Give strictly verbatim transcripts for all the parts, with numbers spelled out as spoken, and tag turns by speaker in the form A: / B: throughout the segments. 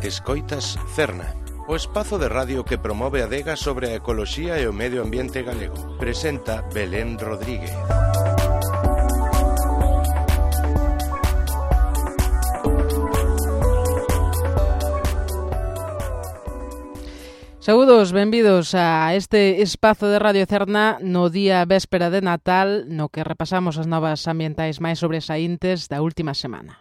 A: Escoitas Cerna, o espazo de radio que promove a adega sobre a ecoloxía e o medio ambiente galego. Presenta Belén Rodríguez.
B: Saúdos, benvidos a este espazo de Radio Cerna no día véspera de Natal, no que repasamos as novas ambientais máis sobresaíntes da última semana.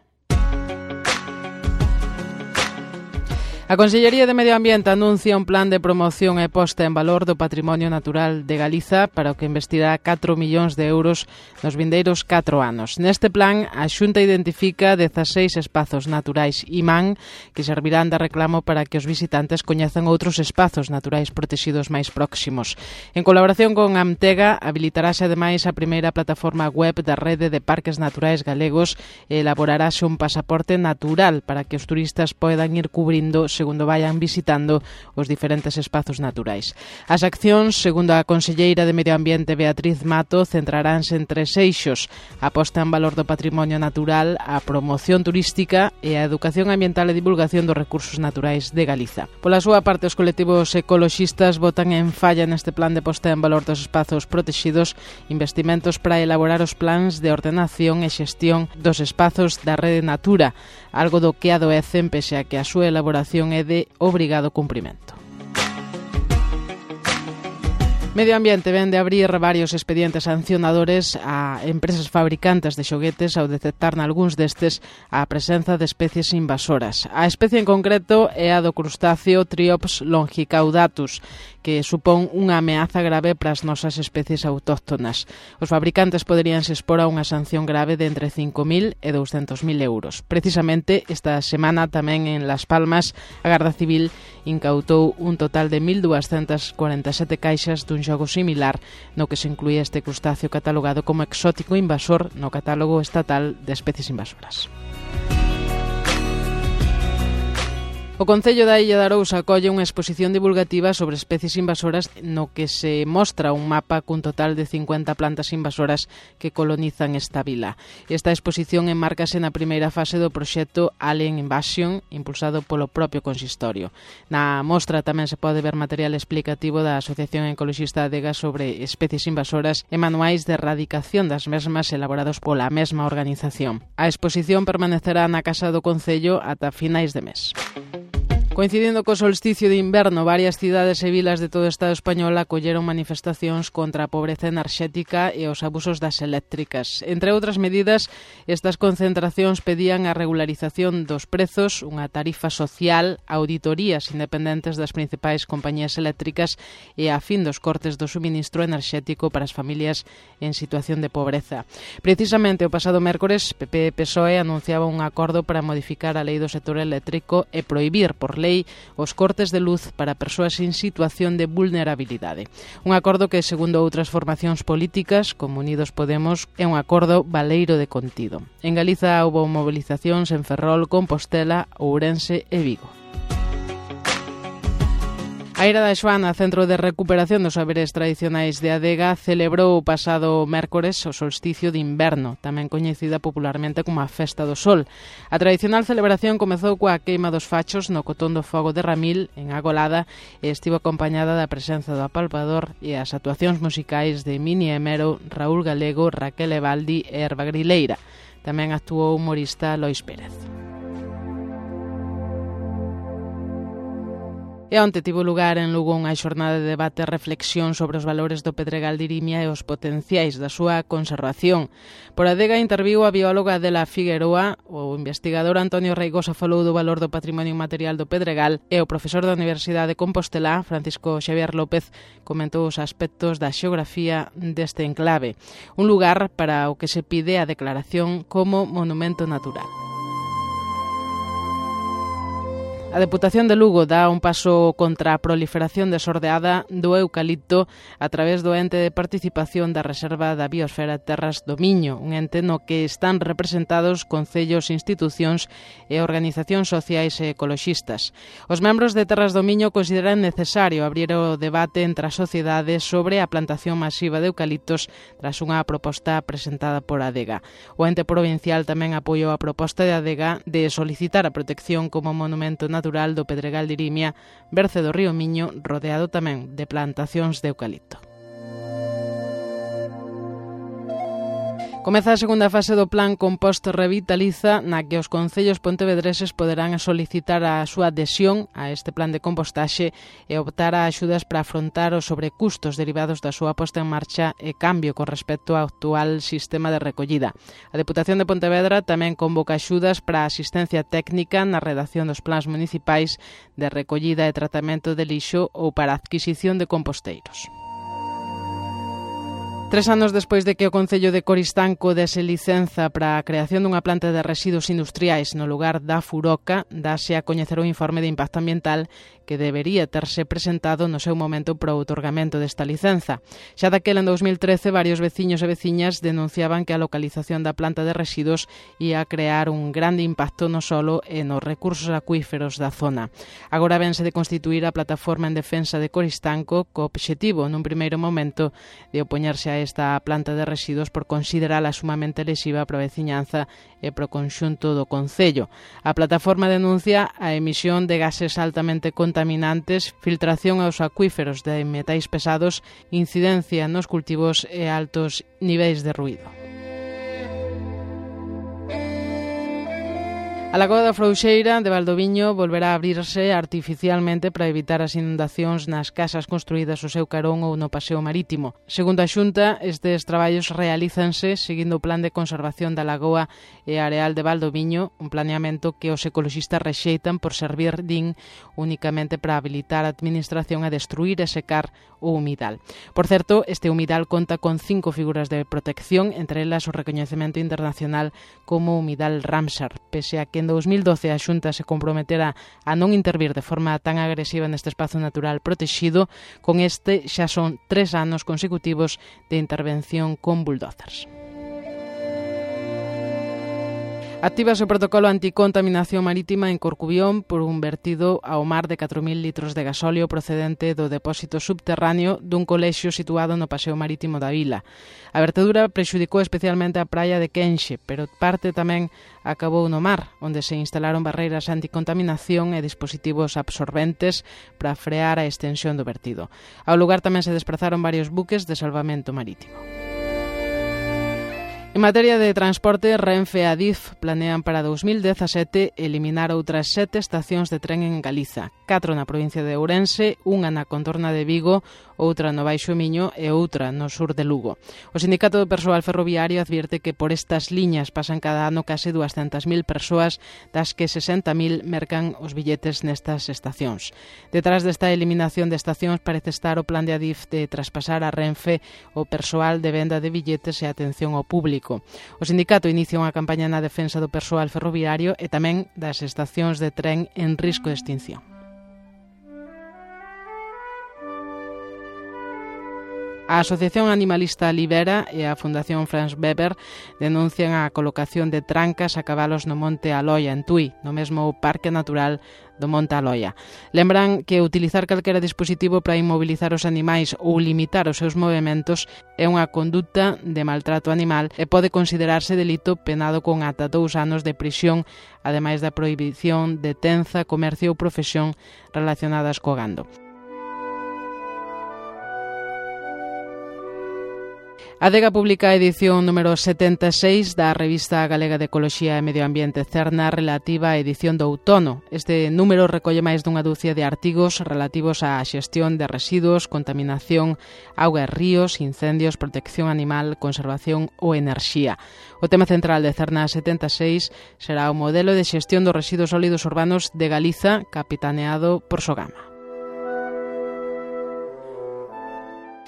B: A Consellería de Medio Ambiente anuncia un plan de promoción e posta en valor do patrimonio natural de Galiza para o que investirá catro millóns de euros nos vindeiros catro anos. Neste plan, a Xunta identifica dezaseis espazos naturais imán que servirán de reclamo para que os visitantes coñezan outros espazos naturais protegidos máis próximos. En colaboración con Amtega, habilitarase ademais a primeira plataforma web da Rede de Parques Naturais Galegos e elaborarase un pasaporte natural para que os turistas poidan ir cubrindo segundo vayan visitando os diferentes espazos naturais. As accións, segundo a conselleira de Medio Ambiente Beatriz Mato, centraránse en tres eixos: a posta en valor do patrimonio natural, a promoción turística e a educación ambiental e divulgación dos recursos naturais de Galiza. Pola súa parte, os colectivos ecoloxistas botan en falla neste plan de posta en valor dos espazos protegidos investimentos para elaborar os plans de ordenación e xestión dos espazos da Rede Natura, algo do que adoecen pese a que a súa elaboración é de obrigado cumprimento. Medio Ambiente ven de abrir varios expedientes sancionadores a empresas fabricantes de xoguetes ao detectar nalgúns destes a presenza de especies invasoras. A especie en concreto é a do crustáceo Triops longicaudatus, que supón unha ameaza grave para as nosas especies autóctonas. Os fabricantes poderíanse expor a unha sanción grave de entre cinco mil e douscentos mil euros. Precisamente, esta semana tamén en Las Palmas, a Garda Civil incautou un total de mil duascentas cuarenta e sete caixas dun xogo similar no que se incluía este crustáceo catalogado como exótico invasor no catálogo estatal de especies invasoras. O Concello da Illa de Arousa acolle unha exposición divulgativa sobre especies invasoras no que se mostra un mapa cun total de cincuenta plantas invasoras que colonizan esta vila. Esta exposición enmárcase na primeira fase do proxecto Alien Invasion, impulsado polo propio consistorio. Na mostra tamén se pode ver material explicativo da Asociación Ecoloxista Adega sobre especies invasoras e manuais de erradicación das mesmas elaborados pola mesma organización. A exposición permanecerá na Casa do Concello ata finais de mes. Coincidindo co solsticio de inverno, varias cidades e vilas de todo o Estado español acolleron manifestacións contra a pobreza enerxética e os abusos das eléctricas. Entre outras medidas, estas concentracións pedían a regularización dos prezos, unha tarifa social, auditorías independentes das principais compañías eléctricas e a fin dos cortes do suministro enerxético para as familias en situación de pobreza. Precisamente o pasado mércores, P P e P S O E anunciaba un acordo para modificar a lei do sector eléctrico e prohibir por lei os cortes de luz para persoas en situación de vulnerabilidade. Un acordo que, segundo outras formacións políticas, como Unidos Podemos, é un acordo baleiro de contido. En Galiza houbo movilizacións en Ferrol, Compostela, Ourense e Vigo. A Eira da Xoana, Centro de Recuperación dos Saberes Tradicionais de Adega, celebrou o pasado mércores o solsticio de inverno, tamén coñecida popularmente como a Festa do Sol. A tradicional celebración comezou coa queima dos fachos no cotón do fogo de Ramil, en Agolada, e estivo acompañada da presenza do apalpador e as actuacións musicais de Mini Emero, Raúl Galego, Raquel Evaldi e Herba Grileira. Tamén actuou o humorista Lois Pérez. E onte tivo lugar en Lugo unha xornada de debate e reflexión sobre os valores do Pedregal de Irimia e os potenciais da súa conservación. Por Adega interviu a bióloga Adela Figueroa, o investigador Antonio Reigosa falou do valor do patrimonio inmaterial do Pedregal e o profesor da Universidade de Compostela, Francisco Xavier López, comentou os aspectos da xeografía deste enclave, un lugar para o que se pide a declaración como monumento natural. A Deputación de Lugo dá un paso contra a proliferación desordeada do eucalipto a través do ente de participación da Reserva da Biosfera Terras do Miño, un ente no que están representados concellos, institucións e organizacións sociais e ecoloxistas. Os membros de Terras do Miño consideran necesario abrir o debate entre a sociedade sobre a plantación masiva de eucaliptos tras unha proposta presentada por Adega. O ente provincial tamén apoiou a proposta de Adega de solicitar a protección como monumento natural natural do Pedregal de Irimia, berce do río Miño, rodeado tamén de plantacións de eucalipto. Comeza a segunda fase do Plan Compost Revitaliza, na que os concellos pontevedreses poderán solicitar a súa adhesión a este plan de compostaxe e optar a axudas para afrontar os sobrecustos derivados da súa posta en marcha e cambio con respecto ao actual sistema de recollida. A Deputación de Pontevedra tamén convoca axudas para a asistencia técnica na redacción dos plans municipais de recollida e tratamento de lixo ou para a adquisición de composteiros. Tres anos despois de que o Concello de Coristanco dese licenza para a creación dunha planta de residuos industriais no lugar da Furoca, dáse a coñecer o informe de impacto ambiental que debería terse presentado no seu momento para o outorgamento desta licenza. Xa daquela, en dous mil trece, varios veciños e veciñas denunciaban que a localización da planta de residuos ia crear un grande impacto no solo e nos recursos acuíferos da zona. Agora vense de constituir a plataforma en defensa de Coristanco co obxectivo, nun primeiro momento, de opoñerse a esta planta de residuos por considerala sumamente lesiva para a veciñanza e para o conxunto do Concello. A plataforma denuncia a emisión de gases altamente contaminantes, filtración aos acuíferos de metais pesados, incidencia nos cultivos e altos niveis de ruído. A Lagoa da Frouxeira de Valdoviño volverá a abrirse artificialmente para evitar as inundacións nas casas construídas ao seu carón ou no paseo marítimo. Segundo a Xunta, estes traballos realízanse seguindo o Plan de Conservación da Lagoa e Areal de Valdoviño, un planeamento que os ecoloxistas rexeitan por servir, din, únicamente para habilitar a administración a destruir e secar o humidal. Por certo, este humidal conta con cinco figuras de protección, entre elas o recoñecemento internacional como humidal Ramsar, pese a que en dous mil doce a Xunta se comprometera a non intervir de forma tan agresiva neste espazo natural protexido. Con este xa son tres anos consecutivos de intervención con bulldozers. Actívase o protocolo anticontaminación marítima en Corcubión por un vertido ao mar de catro mil litros de gasóleo procedente do depósito subterráneo dun colexio situado no paseo marítimo da vila. A vertedura prexudicou especialmente a praia de Quenxe, pero parte tamén acabou no mar, onde se instalaron barreiras anticontaminación e dispositivos absorbentes para frear a extensión do vertido. Ao lugar tamén se desprazaron varios buques de salvamento marítimo. En materia de transporte, Renfe e Adif planean para dous mil dezasete eliminar outras sete estacións de tren en Galiza, catro na provincia de Ourense, unha na contorna de Vigo, outra no Baixo Miño e outra no sur de Lugo. O Sindicato do Persoal Ferroviario advierte que por estas liñas pasan cada ano case duascentas mil persoas, das que sesenta mil mercan os billetes nestas estacións. Detrás desta eliminación de estacións parece estar o plan de Adif de traspasar a Renfe o persoal de venda de billetes e atención ao público. O sindicato inicia unha campaña na defensa do persoal ferroviario e tamén das estacións de tren en risco de extinción. A Asociación Animalista Libera e a Fundación Franz Weber denuncian a colocación de trancas a cabalos no Monte Aloia, en Tui, no mesmo Parque Natural do Monte Aloia. Lembran que utilizar calquera dispositivo para inmobilizar os animais ou limitar os seus movementos é unha conduta de maltrato animal e pode considerarse delito penado con ata dous anos de prisión, ademais da prohibición de tenza, comercio ou profesión relacionadas co gando. A Adega publica a edición número setenta e seis da revista galega de Ecoloxía e Medio Ambiente Cerna relativa á edición do outono. Este número recolle máis dunha dúcia de artigos relativos á xestión de residuos, contaminación, auga e ríos, incendios, protección animal, conservación ou enerxía. O tema central de Cerna setenta e seis será o modelo de xestión dos residuos sólidos urbanos de Galiza, capitaneado por Sogama.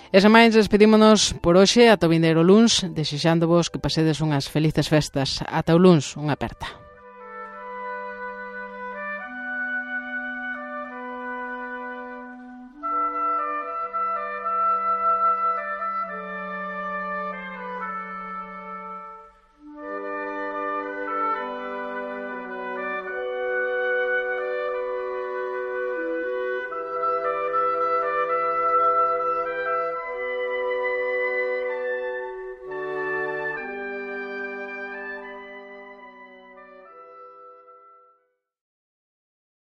B: E sen máis, despedímonos por hoxe ata o vindeiro luns, desexándovos que pasedes unhas felices festas. Ata o luns, unha aperta.